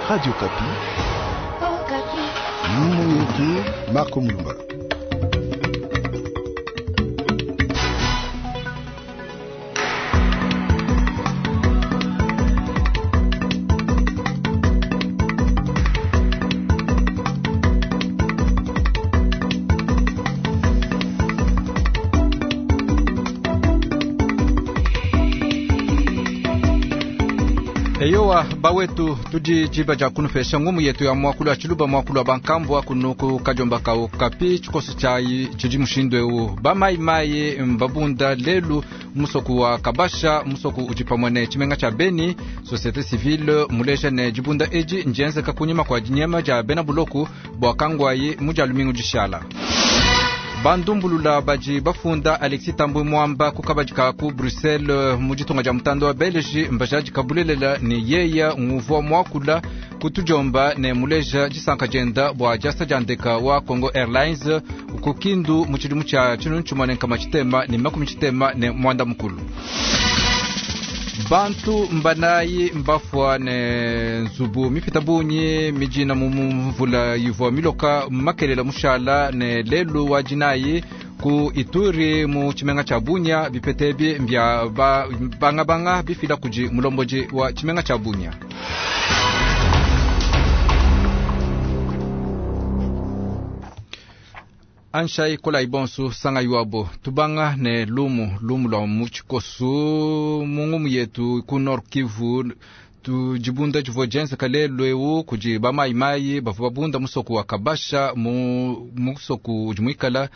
Radio Kapi. Ngumu yetu Marco Mulumba. Eyowa bawetu tudi diba dia kunupesha ngumu yetu ya muakulu wa tshiluba muakulu wa bankambua kunuku kadiomba ka Okapi tshikoso tshiayi tshidi mushindu eu bamayimayi mbabunda lelu musoku wa kabasha musoku udi pamue ne tshimenga tshia Beni. Société civile muleja ne dibunda edi ndienzeka kunyima kua dinyema dia bena buloku bua kangwayi mu dia lumingu dishala. Bandumbulula badi bafunda Alexis Thambwe Mwamba ku kabadi ka ku Bruxelles mu ditunga dia mutanda wa Belge mbajadika bulelela ne yeya nguvua muakula kutudiomba ne muleja disanka dienda bua diasa dia ndeka wa Congo Airlines ku Kindu mu tshidimu tshia tshinunu tshimue ne nkama tshitema ne makumi tshitema ne muanda mukulu. Bantu mbanayi mbafua ne nzubu mipita bungi mijina mu mvula ivua miloka makelela mushala ne lelu wa dinayi ku Ituri mu tshimenga tshia Bunia. Bipeta ebi mbia bangabanga bifila kudi mulombodi wa tshimenga tshia Bunia. Anshai kola ibonsu sanga yuabo tubanga ne lumu lumu lwa mu tshikosu mu ngumu yetu ku Nord Kivu tudibunda divua dienzeka lelu eu kudi bamayimayi bavua babunda musoku wa Kabasha mu musoku udi muikala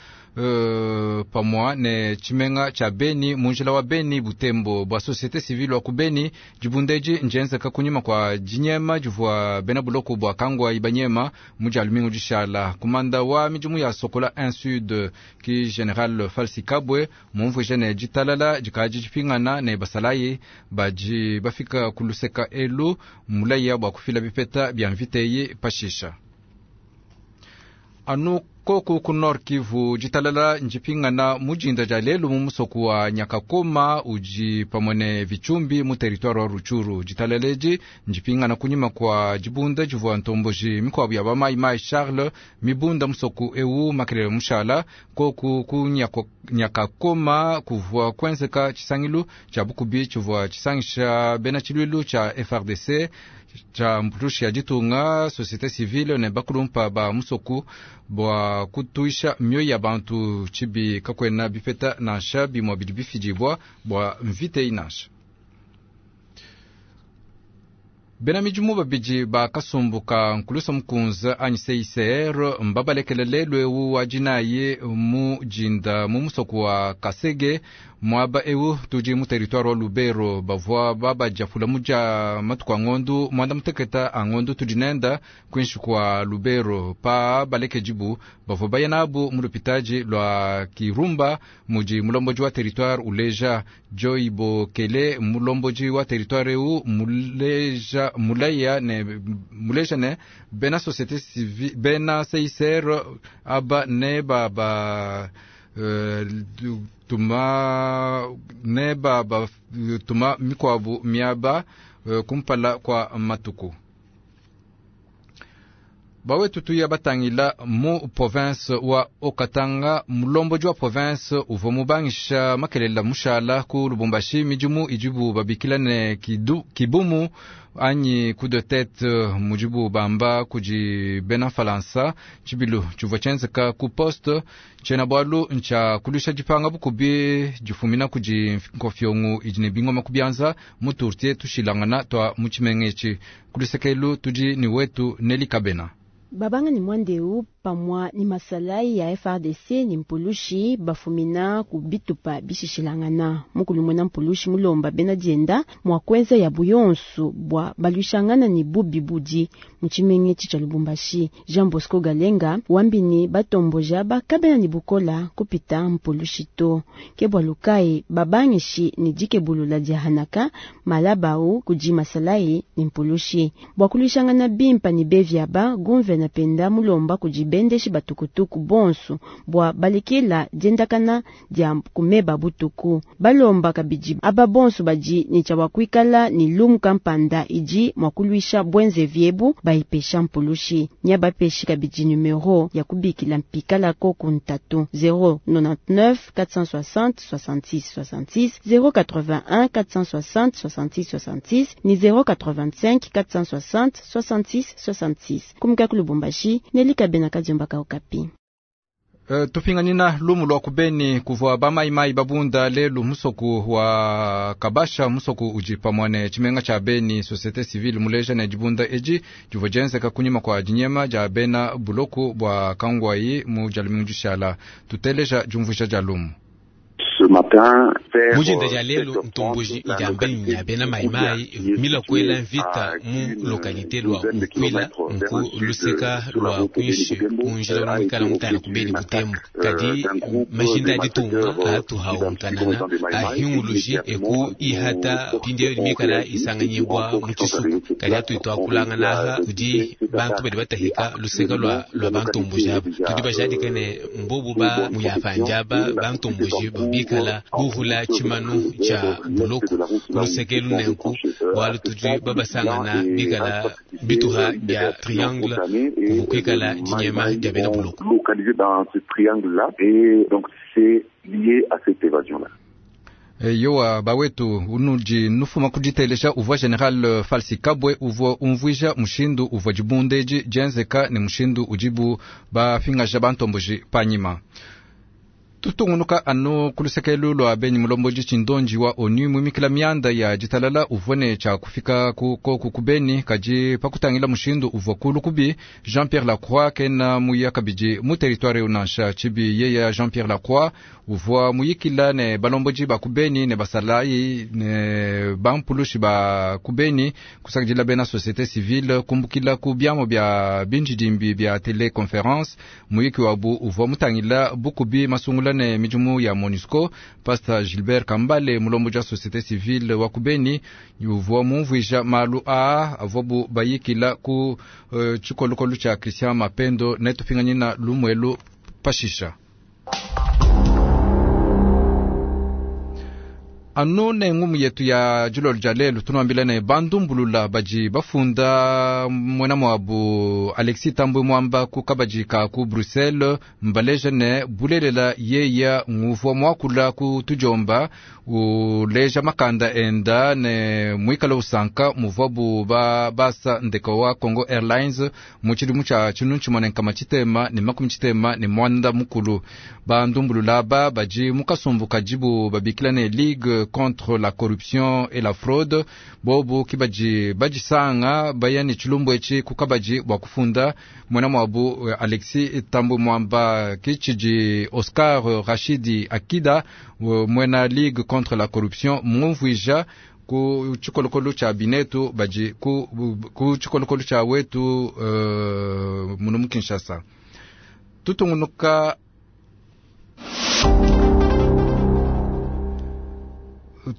pamua ne tshimenga tshia Beni mu njila wa Beni Butembo bua société civile wa ku Beni. Dibunda edi ndienzeka kunyima kua dinyema divua bena buloko bua kangwayi banyema mu dia lumingu dishala. Kumanda wa midimu ya Sokola 1 Sud ki General Falsi Kabwe mumvuije ne ditalala dikadi dipingana ne basalayi badi bafika ku luseka elu mulaya bua kufila bipeta bia mvita eyi pashisha. Anu koku ku Nord Kivu ditalala ndipingana mu dinda dia lelu mu musoku wa Nyakakoma udi pamue ne Vitshumbi mu territoire wa Rutshuru. Ditalala edi ndipingana kunyima kua dibunda divua ntomboji mikuabu ya bamayimayi Charles mibunda musoku eu makelele mushala. Koku ku Nyakakoma kuvua kuenzeka tshisangilu tshia bukubi tshivua tshisangisha bena tshiluilu tshia FARDC tshia mpulushi ya ditunga société civile ne bakulumpa ba musoku bua kutuisha mioyo ya bantu tshibi kakuena bipeta nansha bimue bidi bifidibua bua mvita eyi nansha. Bena midimu babidi ba kasumbu ka nkulusa mukunza anyi CICR mbabalekele lelu eu wa dinayi mu dinda mu musoku wa Kasege muaba eu tudi mu territoire wa Lubero. Bavua babadiapula mu dia matuku a ngondu muanda muteketa a ngondu tudi nenda kuinshi kua Lubero pa balekedibu bavua baya nabu mu lupitadi lua Kirumba mudi mulombodi wa territoire uleja Joy Bokele. Mulombodi wa territoire eu muleja mulaya ne muleja ne bena société civile bena CICR aba ne baba tuma ne baba tuma mikuabu miaba kumpala kua matuku. Bawetu tuya batangila mu province wa Haut-Katanga mulombodi wa province uvua mubangisha makelela mushala ku Lubumbashi midimu idibu babikila ne kidu, kibumu anyi coup de tête mudibu bamba kudi bena Falansa. Tshibilu tshivua tshienzeka ku poste tshiena bualu ntshia kulusha dipanga bukubi difumina kudi nkofiongo idi ne bingoma ku bianza mu turtie tushilangana tua mu tshimenga etshi. Kulusekelu tudi ni wetu Neli Kabena. Babanga ni mwandeu pamwa ni masalai ya FARDC ni mpulushi bafumina ku bitupa bishishilangana mukulu mwena mpulushi mulomba bena dienda mwa kwenza ya buyonsu bwa baluishangana ni bubi budi mu tshimenga etshi tshia Lubumbashi. Jean Bosco Galenga wambini batomboja bakabena ni bukola kupita mpulushi to ke bua lukai babangishi ni dikebulula dia hanaka malabau kudi masalai ni mpulushi bwa kuluishangana bimpa ni beviaba gumvena. kena penda mulomba kudi bendeshi ba tukutuku bonsu bua balekela diendakana dia ku meba butuku. Balomba kabidi aba bonsu badi ne tshia bua kuikala ne lumu kampanda idi mua kuluisha buenzevi ebu bayipesha mpulushi. Nya bapeshi kabidi numero ya kubikila mpikala koku ntatu 099 460 66 66 081 460 66 66 ni 085 460 66 66. Kumika ku Lubumbashi, Nelika Bena Kadiomba ka Okapi. Tupinganina lumu lwa kubeni kuvua bamaimai babunda lelu musoku wa kabasha musoku udi pamue ne tshimenga tshia beni société civile muleja ne dibunda edi divua dienzeka kunyima kua dinyema dia bena buloku bua kangwayi mu dia lumingu dishala tuteleja diumvuija dia lumu. Mujinda dia lelu ntomboji idi ya bena maimai mila kuela mvita mu localité lwa Nkwila nku luseka lwa kuinshi kunjila lwa mutana kubeni butembo kadi majinda aditunga atuhawu nkanana ahinguluji eku ihata pindiyo mikala isanganyibwa mu tshisuku kadi atuitwa kulangana aha kudi bantu badi batahika luseka lwa lwa bantomboji aba tudi bajadika ne mbobu ba muyapanjaba bantomboji babikala buhula tshimanu tshia buloko kuluseke lunenku bwalu tudi babasangana bikala bituha bia triangle kuvukwikala dinyema dia bena buloko. Localisé dans ce triangle-là et donc c'est lié à cette évasion-là. Yowa bawetu unudi nufuma kuditelesha uvua general Falsi Kabwe uvua umvuija mushindu uvua dibundeji dienzeka ne mushindu udibu bafingaja bantomboji panyima. Tutungunuka anu kulusekelu lwa beni mulomboji tshindonji wa onu mumikila mianda ya ditalala uvua ne tshia kufika ku koku kubeni kadi pakutangila mushindu uvua kulu kubi Jean Pierre Lacroix kena muya kabidi mu territoire unansha tshibi yeya Jean Pierre Lacroix uvua muyikila ne balomboji ba kubeni ne basalayi ne bampulushi ba kubeni kusakidila bena société civile kumbukila ku biamo bia binjidimbi bia teleconference muyiki wabu uvua mutangila bukubi masungula ne midimu ya MONUSCO. Pastor Gilbert Kambale mulomboji wa société civile wa kubeni uvua mumvuija malu aa avuabu bayikila ku uh, tshikolokolo tshia Christian Mapendo netupinganyina lumuelu pashisha. Anu ne ngumu yetu ya dilolo dia lelu tunuambila ne bandumbulula badi bafunda muena muabu Alexis Tambwe Mwamba ku kabadi ka ku Bruxelles mbaleja ne bulelela yeya nguvua muakula ku tudiomba uleja makanda enda ne muikala usanka muvuabu ba basa ndeka wa Congo Airlines mu tshidimu tshia tshinu tshimue ne nkama tshitema ne makumi tshitema ne mwanda mukulu. Bandumbulula aba badi mu kasumbu kadibu babikila ne Ligue contre la corruption et la fraude bobu kibaji bajisanga baya ne tshilumbu etshi ku kabadi bua kufunda muena muabu Alexis Tambwe Mwamba kitshidi Oscar Rashidi Akida muena Ligue contre la corruption mumvuija ku tshikolokolo tshia binetu badi ku, ku tshikolokolo tshia wetu uh, munu mu Kinshasa tutungunuka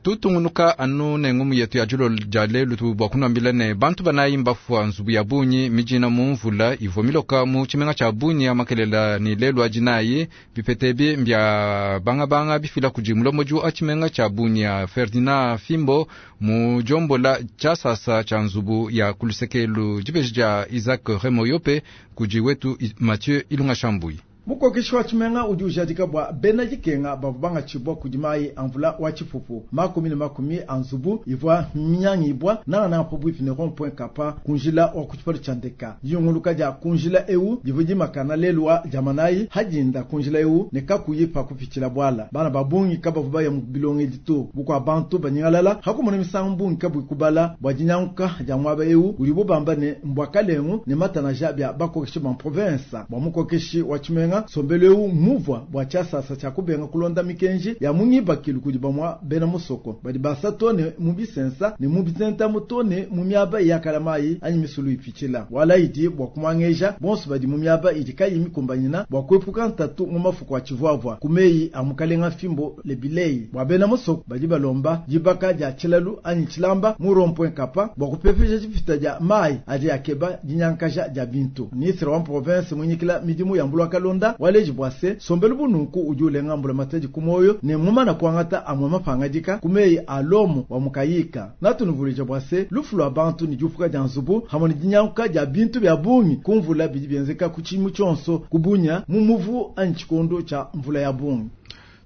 tutungunuka anu ne ngumu yetu ya dilolo dia lelu bua kunuambila ne bantu banayi mbafua nzubu ya bunyi mijina mu mvula ivua miloka mu tshimenga tshia bunyi ya makelela ni lelu adinayi bipete mbia bangabanga bifila kudi mulombodi wa tshimenga tshia bunyi ya Ferdinand Fimbo mu diombola tshiasasa tshia nzubu ya kulusekelu dibeji dia Isaac Remoyope kudi wetu Mathieu Ilunga Shambui. Mukokeshi wa tshimenga udi ujadika bua bena dikenga bavua bangatshibua kudi mayi a mvula wa tshipupu makumi ne makumi a nzubu ivua minyangibua nangananga pabuipi ne rond point kapa kunjila wa ku tshipalo tshia ndeka. Diyunguluka dia kunjila ewu divua dimakana lelu wa diamanayi hadinda kunjila ewu ne kakuyi pa kupitshila buala. Bana ba bungi kabavua baya mu bilongedi to bukua bantu banyingalala hakumona misangu bungi kabuyi kubala bua dinyanguka dia muaba ewu udibu bamba ne mbua kalengu ne matanaja bia bakokeshi ba province bua mukokeshi wa tshimenga. tshimenga. Nsombelu eu muvua bua tshiasasa tshia kubenga kulonda mikenji ya mu ngibakilu kudi bamua bena musoko badi basa to ne mu bisensa ne mu bitentamu to ne mu miaba yakala mayi anyi misulu ipitshila. Wala idi bua kumuangeja bonso badi mu miaba idi kayi mikumbanyina bua kuepuka ntatu mu mafuku a tshivuavua ku meyi a mukalenga Fimbo Lebilei. Bua bena musoko badi balomba dibaka dia tshilalu anyi tshilamba mu rond-point Kapa bua kupepeja dipita dia mayi adi akeba dinyankaja dia bintu. Ministre wa province munyikila midimu ya mbula kalonda waleji bua se nsombelu bununku udi ulenga mbula matadi ku moyo ne mumana kuangata amwe mapangadika ku meyi a lomo wa mukayika. Natunuvuluija bua se lufu lwa bantu ne diupuka dia nzubu hamwe ne dinyanguka dia bintu bia bungi kumvula bidi bienzeka ku tshimu tshionso kubunya mu muvu anyi tshikondo tshia mvula ya bungi.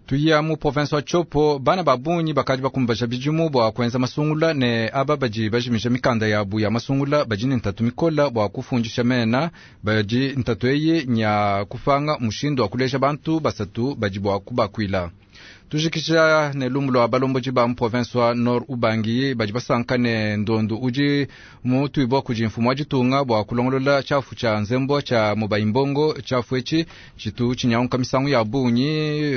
Tuya mu province wa Tshopo, bana ba bungi bakadi bakumbaja bidimu bua kuenza masungula ne aba badi bajimija mikanda yabu ya masungula badi ne ntatu mikola bua kufundisha mena. Badi ntatu eyi nya kupanga mushindu wa kuleja bantu basatu badi bua kubakuila. Tujikisha ne lumu lwa balombodi ba mu province wa Nord Ubangi badi basanka ne ndondu udi mutuibwa kudi mfumu wa ditunga bua kulongolola tshiafu tshia nzembo tshia Mobayi-Mbongo. Tshiafu etshi tshitu tshinyanguka misangu ya bungi,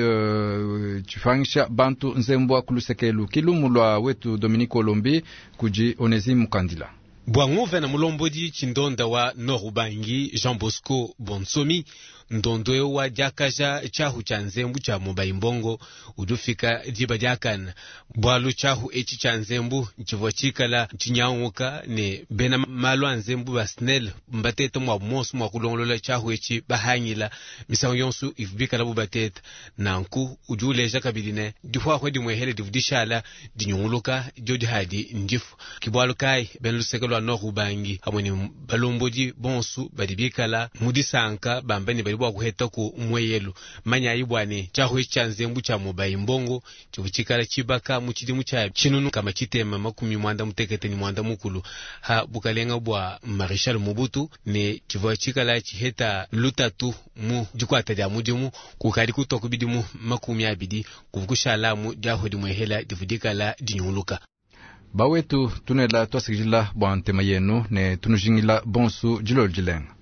tshipangisha bantu nzembo ku lusekelu. Kilumu lwa wetu Dominique Olombi kudi Onesime Mukandila. Bua nguvena mulombodi tshindonda wa Nord Ubangi Jean Bosco Bonsomi, ndondo eu wa diakaja tshiahu tshia nzembu tshia Mobayi-Mbongo udi ufika diba diakana, bualu tshiahu etshi tshia nzembu tshivua tshikala tshinyanguka ne bena malu a nzembu ba SNEL mbateta mua monso mua kulongolola tshiahu etshi bahangila misangu yonso ivu bikala bu bateta. Nanku udi uleja kabidi ne dihuahua dimwehele divu dishala dinyunguluka dio dihadi ndifu. Kibualu kai bena luseke lwa Nord Ubangi hamwe ne balombodi bonso badi bikala mu disanka bamba ne badi bua kuheta ku mweyelu. Manyayi bua ne tshiahu etshi tshia nzembu tshia Mobayi-Mbongo tshivu tshikala tshibaka mu tshidimu tshia tshinunu kama tshitema makumi mwanda mutekete ne mwanda mukulu ha bukalenga bua Maréchal Mobutu, ne tshivua tshikala tshiheta lutatu mu dikuata dia mudimu kukadi kutoka bidimu 20 kuvukushalamu diahu dimwehela divu dikala dinyunguluka. Bawetu tunela twasikidila bua ntema yenu ne tunujingila bonsu dilolo dilenga.